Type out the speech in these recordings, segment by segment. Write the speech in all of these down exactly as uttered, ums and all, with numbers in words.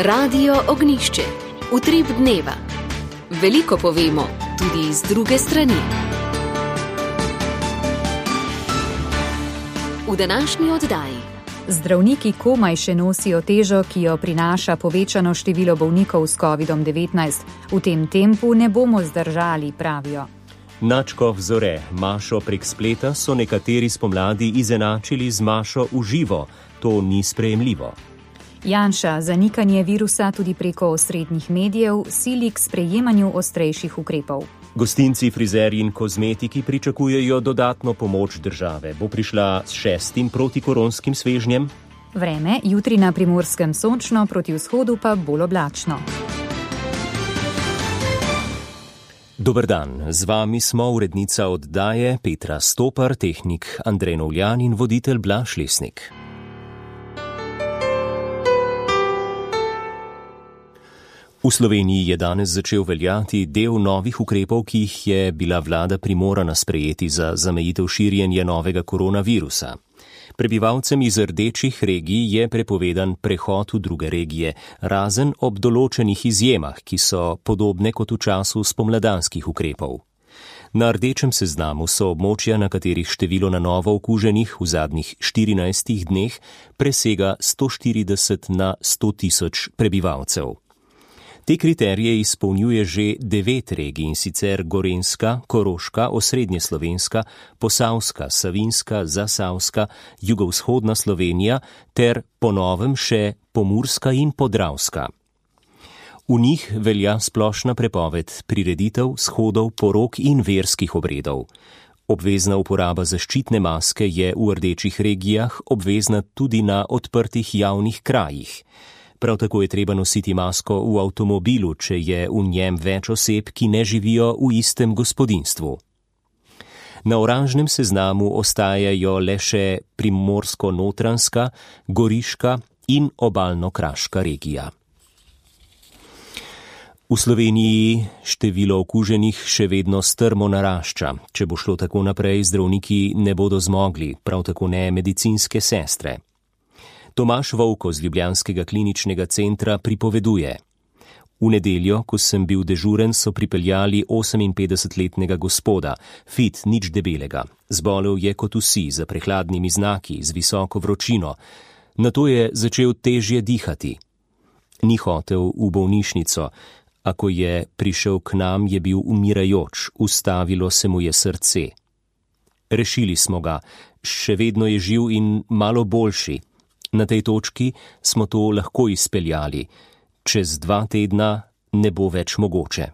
Radio Ognjišče. Utrip dneva. Veliko povemo, tudi iz druge strani. V današnji oddaji. Zdravniki komaj še nosijo težo, ki jo prinaša povečano število bolnikov s kovidom devetnajst. V tem tempu ne bomo zdržali, pravijo. Načkov Zore, Mašo prek spleta so nekateri spomladi izenačili z Mašo v živo. To ni sprejemljivo. Janša zanikanje virusa tudi preko osrednjih medijev sili k sprejemanju ostrejših ukrepov. Gostinci, frizerji in kozmetiki pričakujejo dodatno pomoč države. Bo prišla s šestim protikoronskim svežnjem? Vreme, jutri na Primorskem sončno, proti vzhodu pa bolj oblačno. Dober dan, z vami smo urednica oddaje Petra Stopar, tehnik Andrej Novljan in voditelj Blaž Lesnik. V Sloveniji je danes začel veljati del novih ukrepov, ki jih je bila vlada primorana sprejeti za zamejitev širjenja novega koronavirusa. Prebivalcem iz rdečih regij je prepovedan prehod v druge regije, razen ob določenih izjemah, ki so podobne kot v času spomladanskih ukrepov. Na rdečem seznamu so območja, na katerih število na novo okuženih v zadnjih štirinajstih dneh presega sto štirideset na sto tisoč prebivalcev. Te kriterije izpolnjuje že devet regij, in sicer Gorenjska, Koroška, Osrednjeslovenska, Posavska, Savinjska, Zasavska, Jugovzhodna Slovenija ter po novem še Pomurska in Podravska. V njih velja splošna prepoved prireditev, shodov, porok in verskih obredov. Obvezna uporaba zaščitne maske je v rdečih regijah obvezna tudi na odprtih javnih krajih. Prav tako je treba nositi masko v avtomobilu, če je v njem več oseb, ki ne živijo v istem gospodinjstvu. Na oranžnem seznamu ostajajo le še Primorsko-Notranjska, Goriška in Obalno-Kraška regija. V Sloveniji število okuženih še vedno strmo narašča. Če bo šlo tako naprej, zdravniki ne bodo zmogli, prav tako ne medicinske sestre. Tomaž Vovko z ljubljanskega kliničnega centra pripoveduje. V nedeljo, ko sem bil dežuren, so pripeljali oseminpetdesetletnega gospoda, fit, nič debelega. Zbolel je kot vsi, za prehladnimi znaki, z visoko vročino. Nato je začel težje dihati. Ni hotel v bolnišnico, a ko je prišel k nam, je bil umirajoč, ustavilo se mu je srce. Rešili smo ga, še vedno je živ in malo boljši. Na tej točki smo to lahko izpeljali. Čez dva tedna ne bo več mogoče.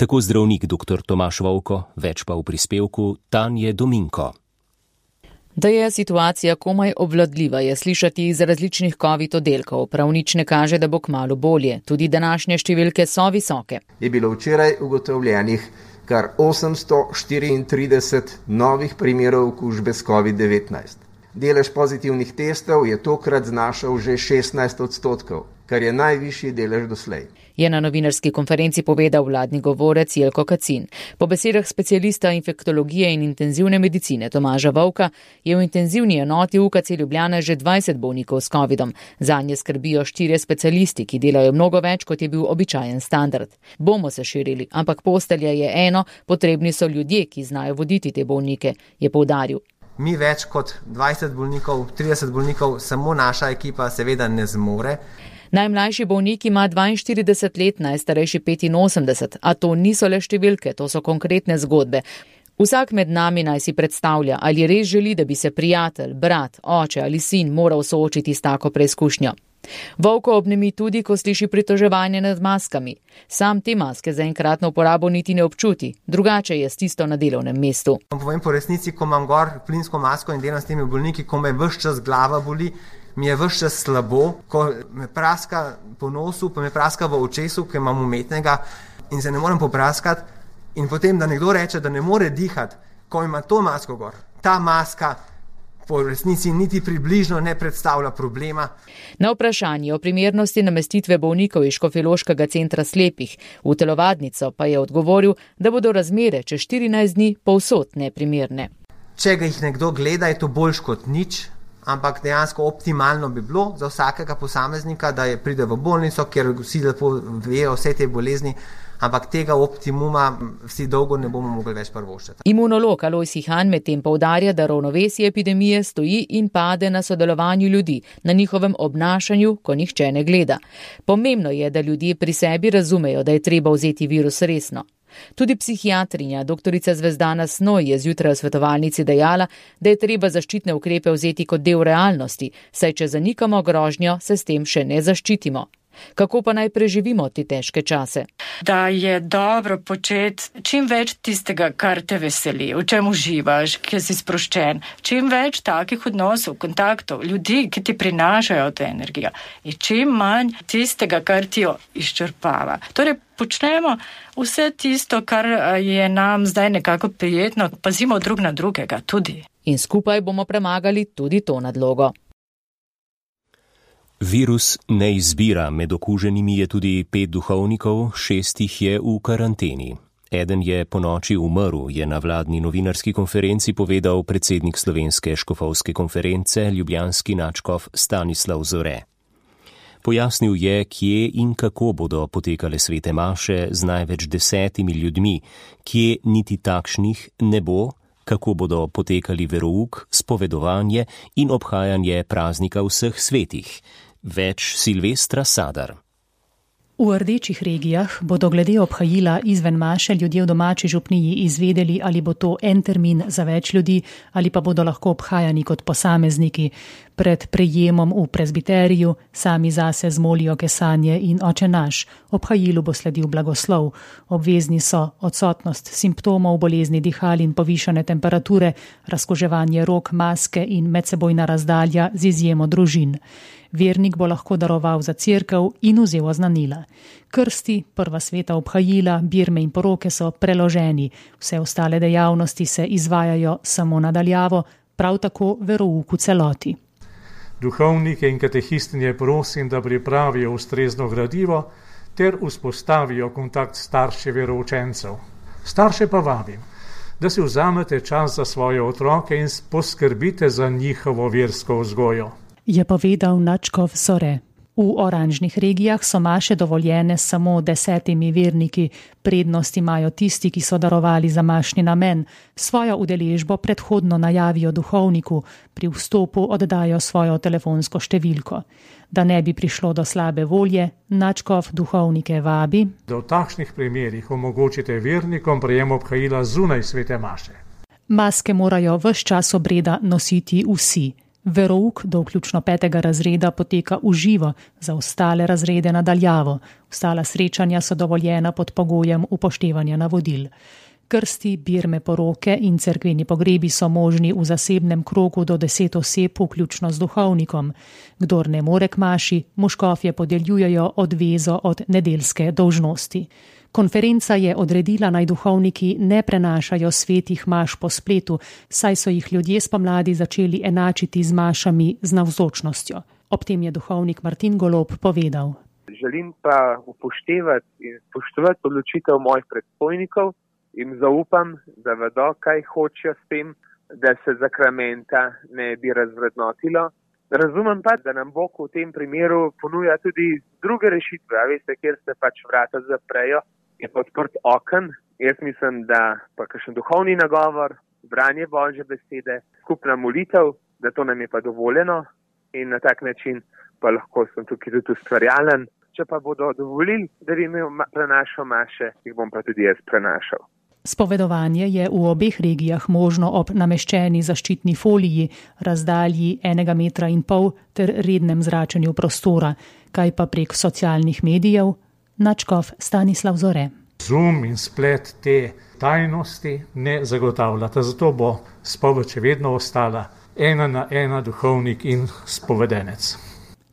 Tako zdravnik dr. Tomaž Vovko, več pa v prispevku Tanje Dominko. Da je situacija komaj obvladljiva, je slišati iz različnih covid oddelkov. Prav nič ne kaže, da bo kmalu bolje. Tudi današnje številke so visoke. Je bilo včeraj ugotovljenih kar osemsto štiriintrideset novih primerov okužbe s covid devetnajst. Delež pozitivnih testov je tokrat znašal že šestnajst odstotkov, kar je najvišji delež doslej. Je na novinarski konferenci povedal vladni govorec Jelko Kacin. Po besedah specialista infektologije in intenzivne medicine Tomaža Vovka je v intenzivni enoti U K C Ljubljana že dvajset bolnikov s covidom. Zanje skrbijo štirje specialisti, ki delajo mnogo več, kot je bil običajen standard. Bomo se širili, ampak postelja je eno, potrebni so ljudje, ki znajo voditi te bolnike, je poudaril. Mi več kot dvajset bolnikov, trideset bolnikov, samo naša ekipa seveda ne zmore. Najmlajši bolnik ima dvainštirideset let, najstarejši petinosemdeset, a to niso le številke, to so konkretne zgodbe. Vsak med nami naj si predstavlja, ali res želi, da bi se prijatelj, brat, oče ali sin moral soočiti s tako preizkušnjo. Vovko obnemi tudi, ko sliši pritoževanje nad maskami. Sam te maske za enkratno uporabo niti ne občuti, drugače je s tisto na delovnem mestu. Povem po resnici, ko imam gor plinsko masko in delam s temi bolniki, ko me ves čas glava boli, mi je ves čas slabo, ko me praska po nosu, pa me praska v očesu, ki imam umetnega in se ne morem popraskati. In potem, da nekdo reče, da ne more dihati, ko ima to masko gor. Ta maska po resnici niti približno ne predstavlja problema. Na vprašanje o primernosti namestitve bolnikov iz Škofjeloškega centra slepih v telovadnico pa je odgovoril, da bodo razmere čez štirinajst dni povsod neprimerne. Če ga jih nekdo gleda, je to boljš kot nič. ampak dejansko optimalno bi bilo za vsakega posameznika, da je pride v bolnico, kjer vsi lepo vejo vse te bolezni, ampak tega optimuma vsi dolgo ne bomo mogli več prvoščiti. Imunolog Alojz Ihan medtem poudarja, da ravnovesje epidemije stoji in pade na sodelovanju ljudi, na njihovem obnašanju, ko nihče ne gleda. Pomembno je, da ljudje pri sebi razumejo, da je treba vzeti virus resno. Tudi psihiatrinja doktorica Zvezdana Snoj je zjutraj v svetovalnici dejala, da je treba zaščitne ukrepe vzeti kot del realnosti, saj če zanikamo grožnjo, se s tem še ne zaščitimo. Kako pa naj preživimo te težke čase? Da je dobro početi čim več tistega, kar te veseli, v čem uživaš, kjer si sproščen, čim več takih odnosov, kontaktov, ljudi, ki ti prinašajo to energijo in čim manj tistega, kar ti jo izčrpava. Torej, počnemo vse tisto, kar je nam zdaj nekako prijetno, pazimo drug na drugega tudi. In skupaj bomo premagali tudi to nadlogo. Virus ne izbira, med okuženimi je tudi pet duhovnikov, šest jih je v karanteni. Eden je ponoči umrl, je na vladni novinarski konferenci povedal predsednik Slovenske škofovske konference, ljubljanski nadškof Stanislav Zore. Pojasnil je, kje in kako bodo potekale svete maše z največ desetimi ljudmi, kje niti takšnih ne bo, kako bodo potekali verouk, spovedovanje in obhajanje praznika vseh svetih. Več Silvestra Sadar. V rdečih regijah bodo glede obhajila izven maše ljudje v domači župniji izvedeli, ali bo to en termin za več ljudi ali pa bodo lahko obhajani kot posamezniki. Pred prejemom v prezbiteriju sami zase zmolijo kesanje in Oče naš. Obhajilu bo sledil blagoslov. Obvezni so odsotnost simptomov bolezni dihal in povišane temperature, razkoževanje rok, maske in medsebojna razdalja z izjemo družin. Vernik bo lahko daroval za cerkev in vzel oznanila. Krsti, prva sveta obhajila, birme in poroke so preloženi, vse ostale dejavnosti se izvajajo samo nadaljavo, prav tako verouk v celoti. Duhovnike in katehistinje prosim, da pripravijo ustrezno gradivo ter vzpostavijo kontakt starše veroučencev. Starše pa vabim, da si vzamete čas za svoje otroke in poskrbite za njihovo versko vzgojo. Je povedal nadškof Zore. V oranžnih regijah so maše dovoljene samo desetimi verniki. Prednost imajo tisti, ki so darovali za mašni namen. Svojo udeležbo predhodno najavijo duhovniku, pri vstopu oddajo svojo telefonsko številko. Da ne bi prišlo do slabe volje, nadškof duhovnike vabi, da v takšnih primerih omogočite vernikom prejem obhajila zunaj svete maše. Maske morajo ves čas obreda nositi vsi. Verouk do vključno petega razreda poteka v živo, za ostale razrede nadaljavo. Ostala srečanja so dovoljena pod pogojem upoštevanja navodil. Krsti, birme, poroke in cerkveni pogrebi so možni v zasebnem krogu do deset oseb, vključno z duhovnikom. Kdor ne more k maši, mu škofje podeljujejo odvezo od nedeljske dolžnosti. Konferenca je odredila, naj duhovniki ne prenašajo svetih maš po spletu, saj so jih ljudje spomladi začeli enačiti z mašami z navzočnostjo. Ob tem je duhovnik Martin Golob povedal. Želim pa upoštevati in spoštovati odločitev mojih predstojnikov in zaupam, da vedo, kaj hočejo s tem, da se zakramenta ne bi razvrednotilo. Razumem pa, da nam Bog v tem primeru ponuja tudi druge rešitve, a veste, kjer se pač vrata zaprejo. Je pa odprt oken. Jaz mislim, da pa kakšen duhovni nagovor, branje Božje besede, skupna molitev, da to nam je pa dovoljeno in na tak način pa lahko sem tukaj tudi ustvarjalen. Če pa bodo dovolili, da bi imel prenašal maše, jih bom pa tudi jaz prenašal. Spovedovanje je v obeh regijah možno ob nameščeni zaščitni foliji, razdalji enega metra in pol ter rednem zračenju prostora, kaj pa prek socialnih medijev. Nadškof Stanislav Zore. Zoom in splet te tajnosti ne zagotavljata, zato bo spoved še vedno ostala ena na ena duhovnik in spovedenec.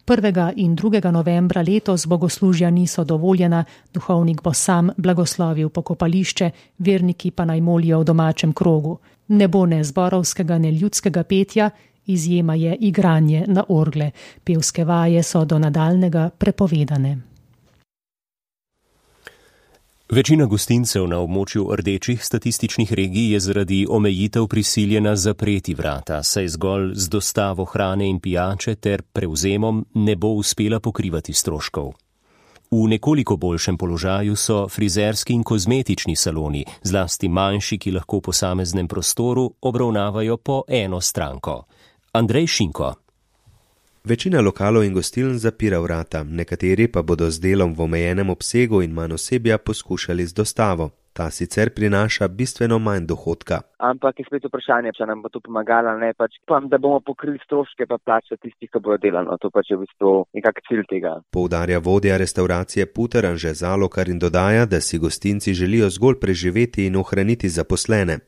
prvega in drugega novembra letos bogoslužja niso dovoljena, duhovnik bo sam blagoslovil pokopališče, verniki pa naj molijo v domačem krogu. Ne bo ne zborovskega, ne ljudskega petja, izjema je igranje na orgle. Pevske vaje so do nadaljnega prepovedane. Večina gostincev na območju rdečih statističnih regij je zaradi omejitev prisiljena zapreti vrata, saj zgolj z dostavo hrane in pijače ter prevzemom ne bo uspela pokrivati stroškov. V nekoliko boljšem položaju so frizerski in kozmetični saloni, zlasti manjši, ki lahko v posameznem prostoru obravnavajo po eno stranko. Andrej Šinko. Večina lokalov in gostiln zapira vrata, nekateri pa bodo z delom v omejenem obsegu in manj osebja poskušali z dostavo. Ta sicer prinaša bistveno manj dohodka. Ampak je spet vprašanje, če nam bo to pomagalo, ne pač pa, da bomo pokrili stroške pa plače tistih, ki bodo delali. To pač je v bistvu nekak cilj tega. Poudarja vodja restauracije Puter Anže Zalokar in dodaja, da si gostinci želijo zgolj preživeti in ohraniti zaposlene.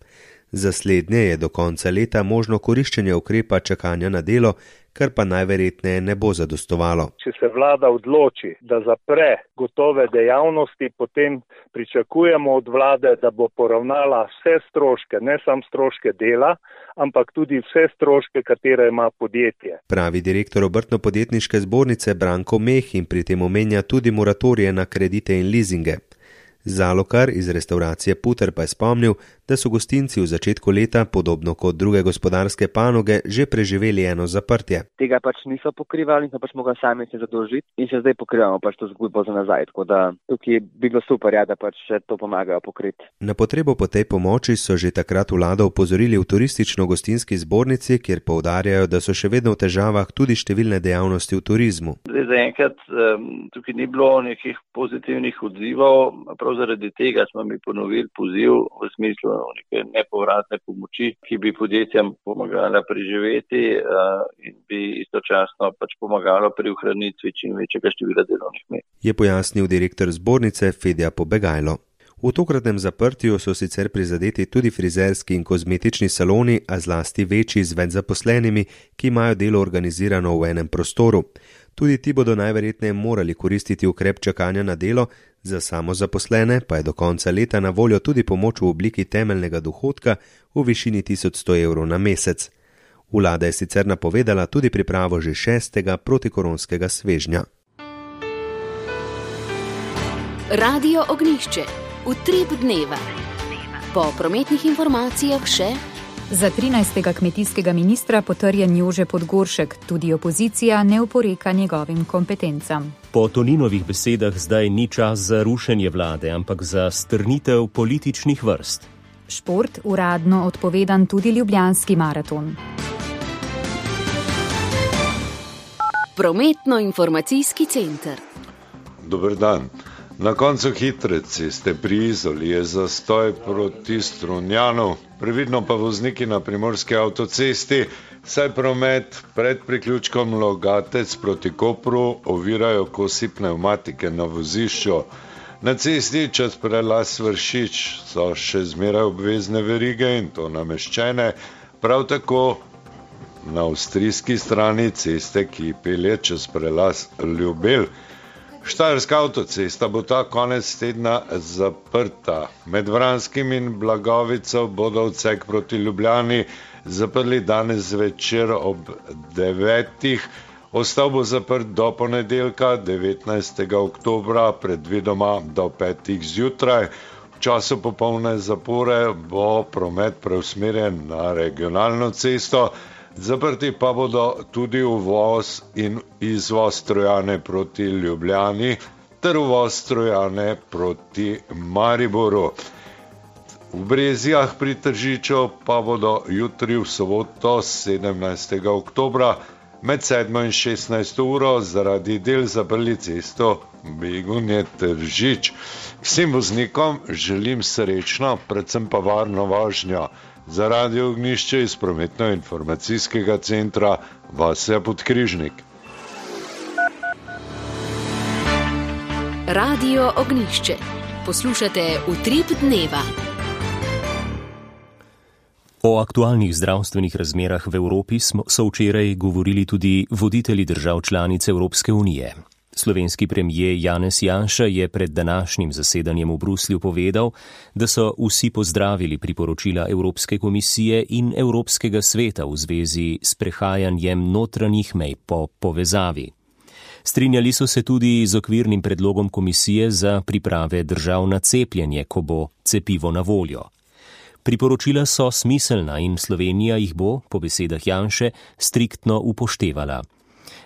Za slednje je do konca leta možno koriščenje ukrepa čakanja na delo, kar pa najverjetneje ne bo zadostovalo. Če se vlada odloči, da zapre gotove dejavnosti, potem pričakujemo od vlade, da bo poravnala vse stroške, ne samo stroške dela, ampak tudi vse stroške, katere ima podjetje. Pravi direktor Obrtno-podjetniške zbornice Branko Meh in pri tem omenja tudi moratorije na kredite in lizinge. Zalokar iz restauracije Puter pa je spomnil, da so gostinci v začetku leta, podobno kot druge gospodarske panoge, že preživeli eno zaprtje. Tega pač niso pokrivali in so pač mogli sami se zadolžiti in se zdaj pokrivamo pač to zgodbo za nazaj. Tako da tukaj bi bilo super, ja, da pač še to pomagajo pokriti. Na potrebo po tej pomoči so že takrat vlado upozorili v turistično-gostinski zbornici, kjer poudarjajo, da so še vedno v težavah tudi številne dejavnosti v turizmu. Zdaj zaenkrat um, tukaj ni bilo nekih pozitivnih odzivov, prav zaradi tega smo mi ponovili poziv v smislu neke nepovratne pomoči, ki bi podjetjem pomagala preživeti uh, in bi istočasno pač pomagalo pri ohranitvi čim večjega števila delovnih mest. Je pojasnil direktor zbornice Fedja Pobegajlo. V tokratnem zaprtju so sicer prizadeti tudi frizerski in kozmetični saloni, a zlasti večji z več zaposlenimi, ki imajo delo organizirano v enem prostoru. Tudi ti bodo najverjetneje morali koristiti ukrep čakanja na delo, za samozaposlene pa je do konca leta na voljo tudi pomoč v obliki temeljnega dohodka v višini tisoč sto evrov na mesec. Vlada je sicer napovedala tudi pripravo že šestega protikoronskega svežnja. Radio Ognjišče. Utrip dneva. Po prometnih informacijah še za trinajstega kmetijskega ministra potrjen Jože Podgoršek, tudi opozicija ne oporeka njegovim kompetencam. Po Toninovih besedah zdaj ni čas za rušenje vlade, ampak za strnitev političnih vrst. Šport uradno odpovedan tudi Ljubljanski maraton. Prometno-informacijski center. Dober dan. Na koncu hitre ceste pri Izoli je zastoj proti Strunjanu, previdno pa vozniki na primorski avtocesti, saj promet pred priključkom Logatec proti Kopru ovirajo kosi pnevmatike na vozišču. Na cesti čez prelaz Vršič so še zmeraj obvezne verige in to nameščene, prav tako na avstrijski strani ceste, ki pelje čez prelaz Ljubelj. Štajerska avtocesta bo ta konec tedna zaprta. Med Vranskim in Blagovico bodo odsek proti Ljubljani zaprli danes zvečer ob devetih. Ostal bo zaprt do ponedeljka, devetnajstega oktobra, predvidoma do petih zjutraj. V času popolne zapore bo promet preusmerjen na regionalno cesto. Zaprti pa bodo tudi uvoz in izvoz Trojane proti Ljubljani ter uvoz Trojane proti Mariboru. V Brezjah pri Tržiču pa bodo jutri v soboto sedemnajstega oktobra med sedmo in šestnajsto uro zaradi del zaprli cesto Begunje Tržič. Vsem voznikom želim srečno, predvsem pa varno vožnjo. Za Radio Ognjišče iz prometno-informacijskega centra Vasja Podkrižnik. Radio Ognjišče. Poslušate Utrip dneva. O aktualnih zdravstvenih razmerah v Evropi so včeraj govorili tudi voditelji držav članic Evropske unije. Slovenski premijer Janez Janša je pred današnjim zasedanjem v Bruslju povedal, da so vsi pozdravili priporočila Evropske komisije in Evropskega sveta v zvezi s prehajanjem notranjih mej po povezavi. Strinjali so se tudi z okvirnim predlogom komisije za priprave držav na cepljenje, ko bo cepivo na voljo. Priporočila so smiselna in Slovenija jih bo, po besedah Janše, striktno upoštevala.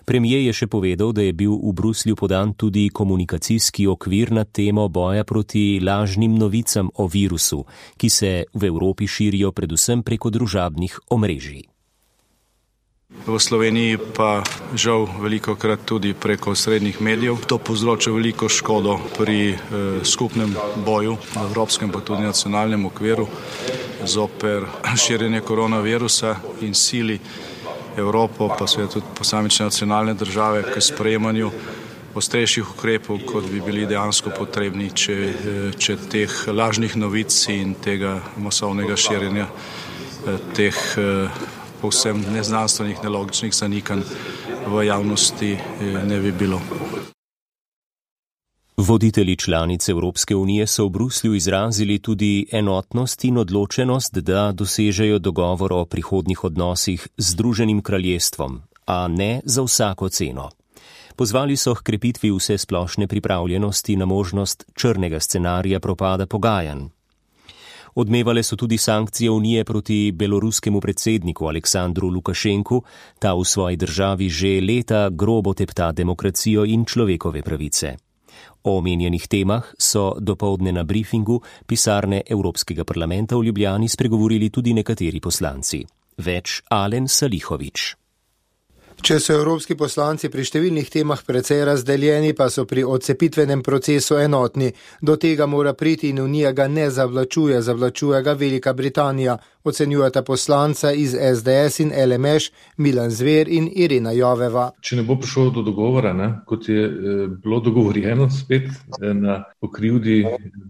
Premijer je še povedal, da je bil v Bruslju podan tudi komunikacijski okvir na temo boja proti lažnim novicam o virusu, ki se v Evropi širijo predvsem preko družabnih omrežij. V Sloveniji pa žal velikokrat tudi preko srednjih medijev. To povzroča veliko škodo pri eh, skupnem boju v evropskem pa tudi nacionalnem okviru zoper širjenje koronavirusa in sili Evropo, pa seveda tudi posamične nacionalne države k sprejemanju ostrejših ukrepov, kot bi bili dejansko potrebni, če, če teh lažnih novic in tega masovnega širjenja teh povsem neznanstvenih, nelogičnih zanikanj v javnosti ne bi bilo. Voditelji članic Evropske unije so v Bruslju izrazili tudi enotnost in odločenost, da dosežejo dogovor o prihodnjih odnosih z Združenim kraljestvom, a ne za vsako ceno. Pozvali so h krepitvi vse splošne pripravljenosti na možnost črnega scenarija propada pogajanj. Odmevale so tudi sankcije Unije proti beloruskemu predsedniku Aleksandru Lukašenku, ta v svoji državi že leta grobo tepta demokracijo in človekove pravice. O omenjenih temah so dopoldne na briefingu pisarne Evropskega parlamenta v Ljubljani spregovorili tudi nekateri poslanci. Več Alen Salihović. Če so evropski poslanci pri številnih temah precej razdeljeni, pa so pri odcepitvenem procesu enotni. Do tega mora priti in Unija ga ne zavlačuje, zavlačuje ga Velika Britanija, ocenjujeta poslanca iz S D S in L M Š Milan Zver in Irena Joveva. Če ne bo prišlo do dogovora, ne, kot je eh, bilo dogovorjeno spet eh, na pokrivdi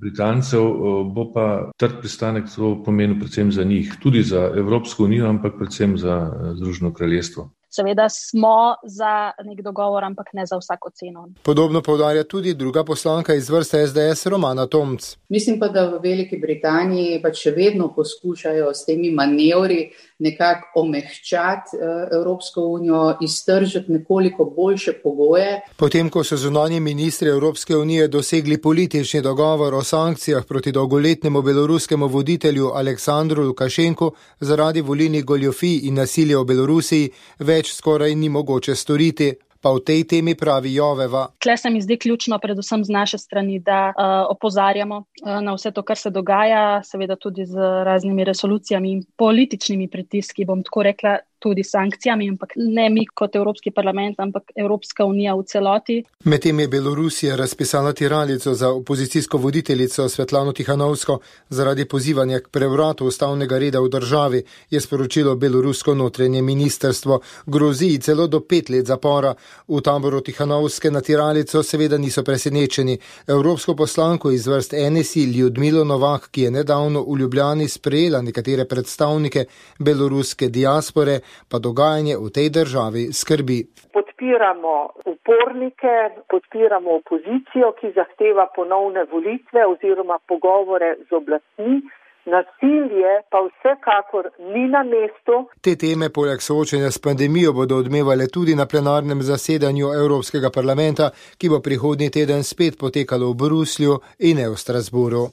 Britancev, eh, bo pa trd pristanek to pomenil predvsem za njih, tudi za Evropsko unijo, ampak predvsem za eh, Združeno kraljestvo. Seveda smo za nek dogovor, ampak ne za vsako ceno. Podobno poudarja tudi druga poslanka iz vrste S D S Romana Tomc. Mislim pa, da v Veliki Britaniji pa še vedno poskušajo s temi manevri nekako omehčati Evropsko unijo, iztržiti nekoliko boljše pogoje. Potem, ko so zunanji ministri Evropske unije dosegli politični dogovor o sankcijah proti dolgoletnemu beloruskemu voditelju Aleksandru Lukašenku zaradi volilnih goljufij in nasilja v Belorusiji, več skoraj ni mogoče storiti. Pa v tej temi pravi Joveva. Tle se mi zdi ključno predvsem z naše strani, da uh, opozarjamo uh, na vse to, kar se dogaja, seveda tudi z raznimi resolucijami in političnimi pritiski, bom tako rekla, tudi sankcijami, ampak ne mi kot Evropski parlament, ampak Evropska unija v celoti. Medtem je Belorusija razpisala tiralico za opozicijsko voditeljico Svetlano Tihanovsko zaradi pozivanja k prevratu ustavnega reda v državi, je sporočilo belorusko notranje ministrstvo. Grozi celo do pet let zapora. V taboru Tihanovske na tiralico seveda niso presenečeni. Evropsko poslanko iz vrst N S I Ljudmilo Novak, ki je nedavno v Ljubljani sprejela nekatere predstavnike beloruske diaspore, pa dogajanje v tej državi skrbi. Podpiramo upornike, podpiramo opozicijo, ki zahteva ponovne volitve oziroma pogovore z oblastmi. Nasilje pa vsekakor ni na mestu. Te teme poleg soočenja s pandemijo bodo odmevale tudi na plenarnem zasedanju Evropskega parlamenta, ki bo prihodnji teden spet potekalo v Bruslju in ne v Strasburu.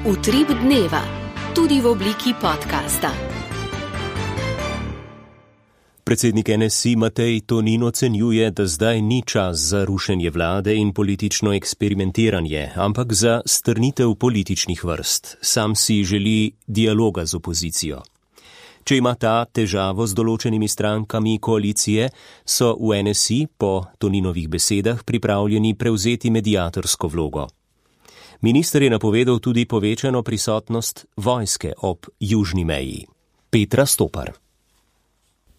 Utrip dneva, tudi v obliki podcasta. Predsednik N S I Matej Tonin ocenjuje, da zdaj ni čas za rušenje vlade in politično eksperimentiranje, ampak za strnitev političnih vrst. Sam si želi dialoga z opozicijo. Če ima ta težavo z določenimi strankami koalicije, so v N S I po Toninovih besedah pripravljeni prevzeti mediatorsko vlogo. Minister je napovedal tudi povečano prisotnost vojske ob južni meji. Petra Stopar.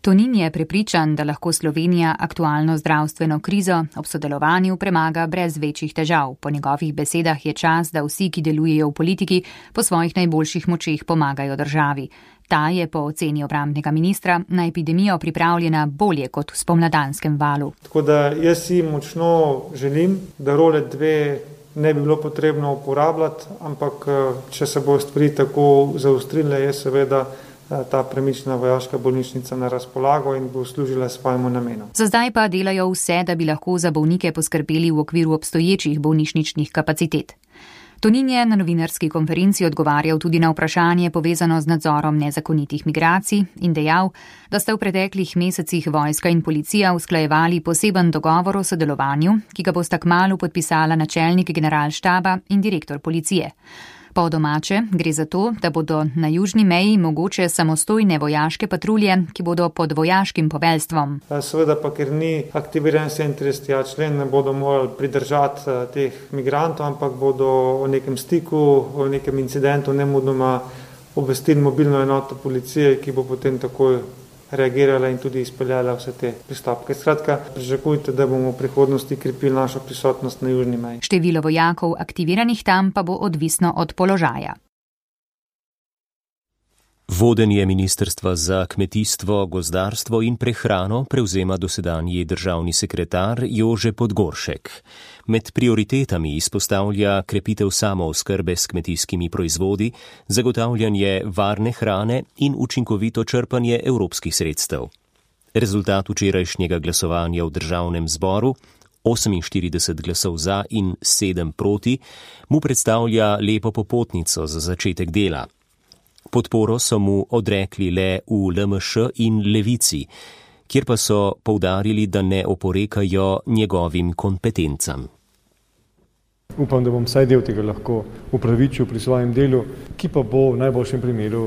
Tonin je prepričan, da lahko Slovenija aktualno zdravstveno krizo ob sodelovanju premaga brez večjih težav. Po njegovih besedah je čas, da vsi, ki delujejo v politiki, po svojih najboljših močeh pomagajo državi. Ta je po oceni obrambnega ministra na epidemijo pripravljena bolje kot v spomladanskem valu. Tako da jaz si močno želim, da role dve ne bi bilo potrebno uporabljati, ampak če se bo stvari tako zaostrile, je seveda ta premična vojaška bolnišnica na razpolago in bo služila svojemu namenu. Za zdaj pa delajo vse, da bi lahko za bolnike poskrbeli v okviru obstoječih bolnišničnih kapacitet. Tonin je na novinarski konferenci odgovarjal tudi na vprašanje povezano z nadzorom nezakonitih migracij in dejal, da sta v preteklih mesecih vojska in policija usklajevali poseben dogovor o sodelovanju, ki ga bosta kmalu podpisala načelnik generalštaba in direktor policije. Po domače gre za to, da bodo na južni meji mogoče samostojne vojaške patrulje, ki bodo pod vojaškim poveljstvom. Seveda pa, ker ni aktiviran sedemintridesetega člen, ne bodo morali pridržati teh migrantov, ampak bodo o nekem stiku, o nekem incidentu nemudoma obvestili mobilno enoto policije, ki bo potem takoj reagirala in tudi izpeljala vse te pristopke. Skratka, pričakujte, da bomo v prihodnosti krepili našo prisotnost na južni meji. Število vojakov aktiviranih tam pa bo odvisno od položaja. Vodenje Ministrstva za kmetijstvo, gozdarstvo in prehrano prevzema dosedanji državni sekretar Jože Podgoršek. Med prioritetami izpostavlja krepitev samooskrbe s kmetijskimi proizvodi, zagotavljanje varne hrane in učinkovito črpanje evropskih sredstev. Rezultat včerajšnjega glasovanja v državnem zboru, oseminštirideset glasov za in sedem proti, mu predstavlja lepo popotnico za začetek dela. Podporo so mu odrekli le v L M Š in Levici, kjer pa so poudarili, da ne oporekajo njegovim kompetencam. Upam, da bom vsaj del tega lahko upravičil pri svojem delu, ki pa bo v najboljšem primeru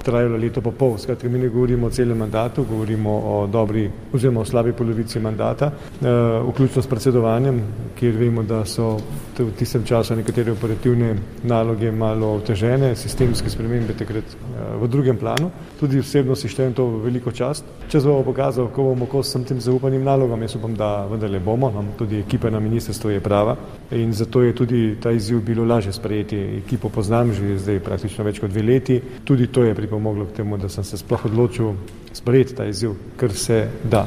trajalo leto pa pol. Skratka, mi ne govorimo o celem mandatu, govorimo o dobri oziroma o slabi polovici mandata, vključno s predsedovanjem, kjer vemo, da so v tistem času nekatere operativne naloge malo otežene, sistemske spremembe takrat v drugem planu. Tudi osebno si štejem to veliko čast. Čas bo pokazal, ko bomo kos sem tem zaupanim nalogam, jaz upam, da vendarle bomo, tudi ekipa na ministrstvu je prava in zato je tudi ta izziv bilo lažje sprejeti. Ekipo poznam že zdaj praktično več kot dve leti. Tudi to je pripomoglo k temu, da sem se sploh odločil sprejeti ta izziv, ker se da.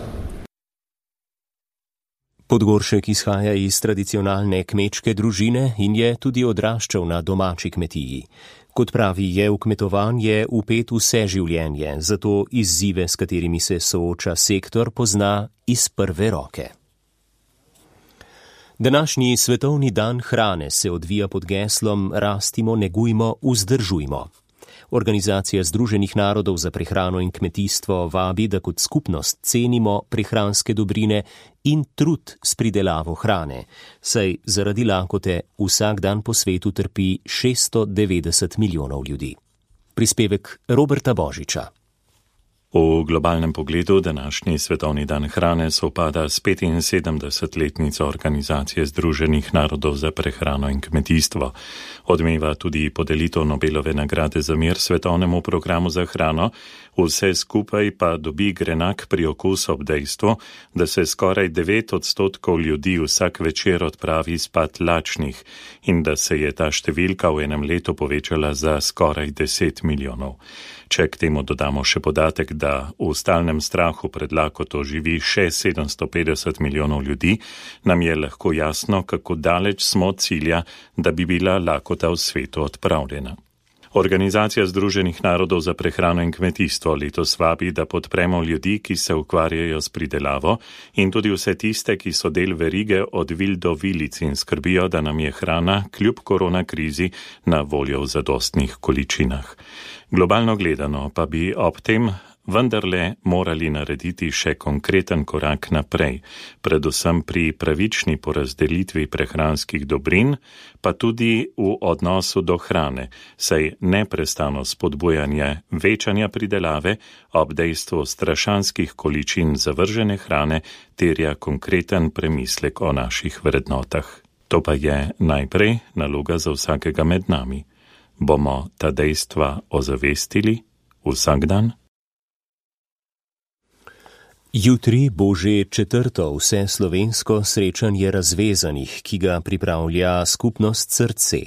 Podgoršek izhaja iz tradicionalne kmečke družine in je tudi odraščal na domači kmetiji. Kot pravi, je v kmetovanje vpet vse življenje, zato izzive, s katerimi se sooča sektor, pozna iz prve roke. Današnji svetovni dan hrane se odvija pod geslom Rastimo, negujmo, vzdržujmo. Organizacija Združenih narodov za prehrano in kmetijstvo vabi, da kot skupnost cenimo prehranske dobrine in trud s pridelavo hrane, saj zaradi lakote vsak dan po svetu trpi šeststo devetdeset milijonov ljudi. Prispevek Roberta Božiča. V globalnem pogledu današnji svetovni dan hrane sovpada s petinsedemdesetletnico Organizacije Združenih narodov za prehrano in kmetijstvo. Odmeva tudi podelitev Nobelove nagrade za mir svetovnemu programu za hrano, vse skupaj pa dobi grenak priokus ob dejstvu, da se skoraj devet odstotkov ljudi vsak večer odpravi spat lačnih in da se je ta številka v enem letu povečala za skoraj deset milijonov. Če k temu dodamo še podatek, da v stalnem strahu pred lakoto živi še sedemsto petdeset milijonov ljudi, nam je lahko jasno, kako daleč smo od cilja, da bi bila lakota v svetu odpravljena. Organizacija Združenih narodov za prehrano in kmetijstvo letos vabi, da podpremo ljudi, ki se ukvarjajo s pridelavo in tudi vse tiste, ki so del verige od vil do vilic in skrbijo, da nam je hrana kljub korona krizi na voljo v zadostnih količinah. Globalno gledano pa bi ob tem vendarle morali narediti še konkreten korak naprej, predvsem pri pravični porazdelitvi prehranskih dobrin, pa tudi v odnosu do hrane, saj neprestano spodbujanje večanja pridelave ob dejstvu strašanskih količin zavržene hrane terja konkreten premislek o naših vrednotah. To pa je najprej naloga za vsakega med nami. Bomo ta dejstva ozavestili vsak dan? Jutri bo že četrto vseslovensko srečanje razvezanih, ki ga pripravlja skupnost Srce.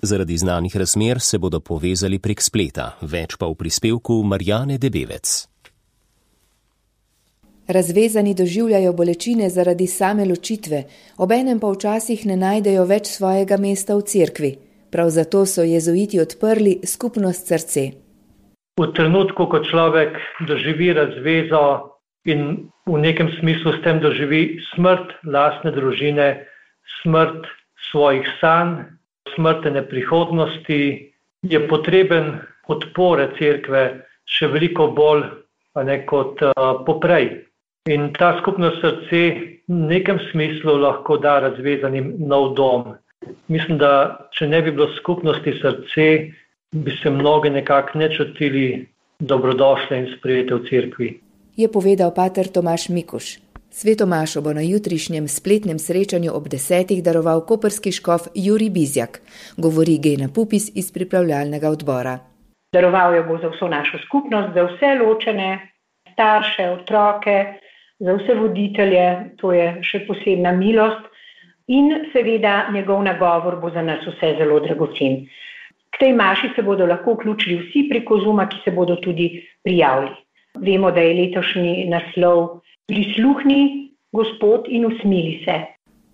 Zaradi znanih razmer se bodo povezali prek spleta, več pa v prispevku Marjane Debevec. Razvezani doživljajo bolečine zaradi same ločitve, obenem pa včasih ne najdejo več svojega mesta v cerkvi. Prav zato so jezuiti odprli skupnost Srce. v trenutku, ko človek doživi razvezo in v nekem smislu s tem doživi smrt lastne družine, smrt svojih sanj, smrtene prihodnosti, je potreben podpore cerkve še veliko bolj a ne, kot uh, poprej. In ta skupno srce v nekem smislu lahko da razvezanim nov dom. Mislim, da če ne bi bilo skupnosti srce, bi se mnogi nekako ne čutili dobrodošle in sprejete v cerkvi. Je povedal pater Tomaž Mikuš. Svetomašo bo na jutrišnjem spletnem srečanju ob desetih daroval koprski škof Jurij Bizjak, govori Gena Pupis iz pripravljalnega odbora. Daroval jo bo za vso našo skupnost, za vse ločene starše, otroke, za vse voditelje, to je še posebna milost in seveda njegov nagovor bo za nas vse zelo dragocen. K tej maši se bodo lahko vključili vsi preko Zooma, ki se bodo tudi prijavili. Vemo, da je letošnji naslov Prisluhni, Gospod, in usmili se.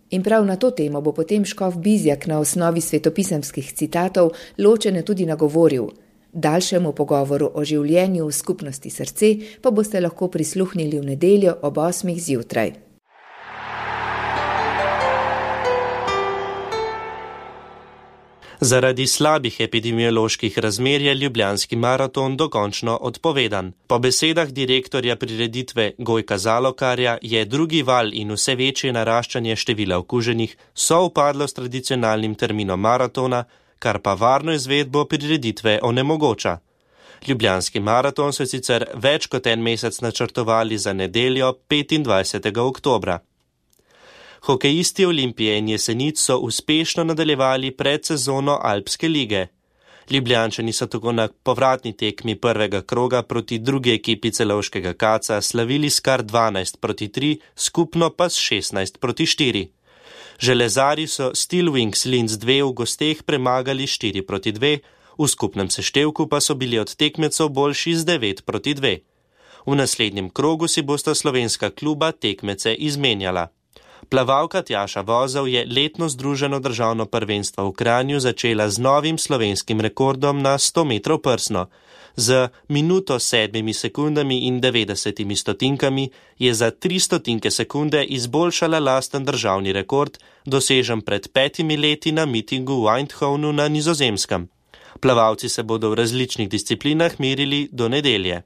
In prav na to temo bo potem škof Bizjak na osnovi svetopisemskih citatov ločene tudi nagovoril. Daljšemu pogovoru o življenju v skupnosti srce pa boste lahko prisluhnili v nedeljo ob osmih zjutraj. Zaradi slabih epidemioloških razmer je ljubljanski maraton dokončno odpovedan. Po besedah direktorja prireditve Gojka Zalokarja je drugi val in vse večje naraščanje števila okuženih sovpadlo s tradicionalnim terminom maratona, kar pa varno izvedbo prireditve onemogoča. Ljubljanski maraton so sicer več kot en mesec načrtovali za nedeljo petindvajsetega oktobra. Hokejisti Olimpije in Jesenic so uspešno nadaljevali predsezono Alpske lige. Ljubljančani so tako na povratni tekmi prvega kroga proti drugi ekipi celovškega kaca slavili s kar dvanajst proti tri, skupno pa s šestnajst proti štiri. Železari so Steel Wings Linz dve v gosteh premagali štiri proti dve, v skupnem seštevku pa so bili od tekmecev boljši z devet proti dve. V naslednjem krogu si bosta slovenska kluba tekmece izmenjala. Plavalka Tjaša Vozel je letno združeno državno prvenstvo v Kranju začela z novim slovenskim rekordom na sto metrov prsno. Z minuto sedmimi sekundami in devetdesetimi stotinkami je za tri stotinke sekunde izboljšala lasten državni rekord, dosežen pred petimi leti na mitingu v Eindhovenu na Nizozemskem. Plavalci se bodo v različnih disciplinah merili do nedelje.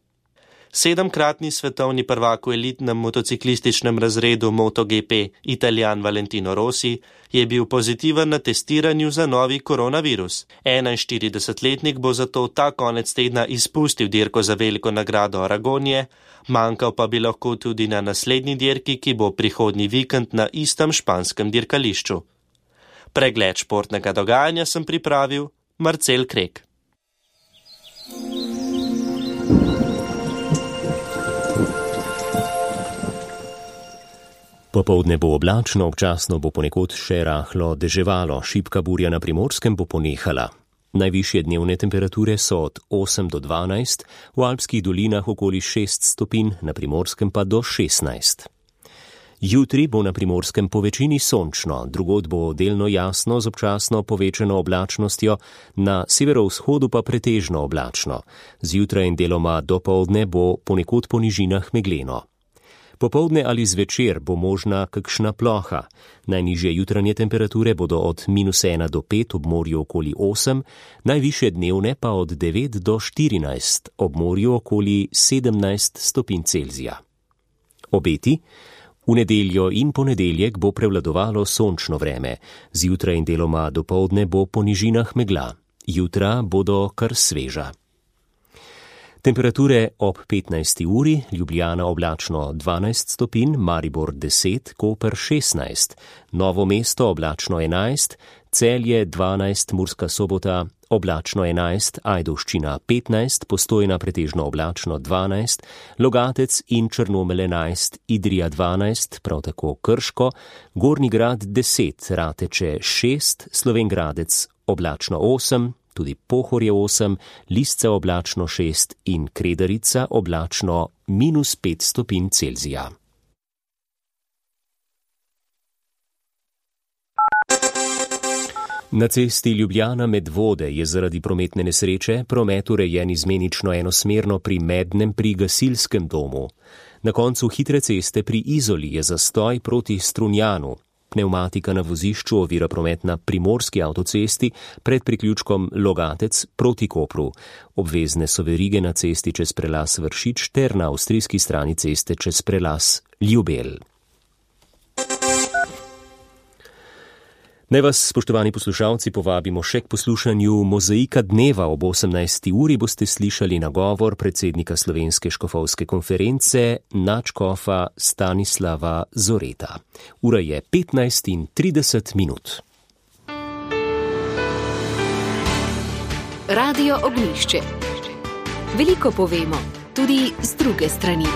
Sedemkratni svetovni prvak v elitnem motociklističnem razredu MotoGP, Italijan Valentino Rossi, je bil pozitiven na testiranju za novi koronavirus. enainštiridesetletnik bo zato ta konec tedna izpustil dirko za veliko nagrado Aragonije, manjkal pa bi lahko tudi na naslednji dirki, ki bo prihodnji vikend na istem španskem dirkališču. Pregled športnega dogajanja sem pripravil Marcel Krek. Popoldne bo oblačno, občasno bo ponekod še rahlo deževalo, šibka burja na Primorskem bo ponehala. Najvišje dnevne temperature so od osem do dvanajst, v alpskih dolinah okoli šest stopinj, na Primorskem pa do šestnajst. Jutri bo na Primorskem po večini sončno, drugod bo delno jasno z občasno povečano oblačnostjo, na severovzhodu pa pretežno oblačno. Zjutraj in deloma dopoldne bo ponekod po nižinah megleno. Popoldne ali zvečer bo možna kakšna ploha. Najnižje jutranje temperature bodo od minus ena do pet, ob morju okoli osem, najvišje dnevne pa od devet do štirinajst, ob morju okoli sedemnajst stopinj Celzija. Obeti? V nedeljo in ponedeljek bo prevladovalo sončno vreme, zjutraj in deloma dopoldne bo po nižinah megla. Jutra bodo kar sveža. Temperature ob petnajsti uri, Ljubljana oblačno dvanajst stopinj, Maribor deset, Koper šestnajst, Novo mesto oblačno enajst, Celje dvanajst, Murska Sobota oblačno enajst, Ajdovščina petnajst, Postojna pretežno oblačno dvanajst, Logatec in Črnomelj enajst, Idrija dvanajst, prav tako Krško, Gornji Grad deset, Rateče šest, Slovengradec oblačno osem, tudi Pohorje osem, Lisce oblačno šest in Kredarica oblačno minus pet stopinj Celzija. Na cesti Ljubljana-Medvode je zaradi prometne nesreče promet urejen izmenično enosmerno pri Mednem pri gasilskem domu. Na koncu hitre ceste pri Izoli je zastoj proti Strunjanu. Pneumatika na vozišču ovira promet na primorski avtocesti pred priključkom Logatec proti Kopru. Obvezne so verige na cesti čez prelaz Vršič ter na avstrijski strani ceste čez prelaz Ljubelj. Naj vas, spoštovani poslušalci, povabimo še k poslušanju Mozaika dneva. Ob osemnajsti uri boste slišali nagovor predsednika Slovenske škofovske konference nadškofa Stanislava Zoreta. Ura je petnajst in trideset minut. Radio Ognjišče. Veliko povemo, tudi z druge strani.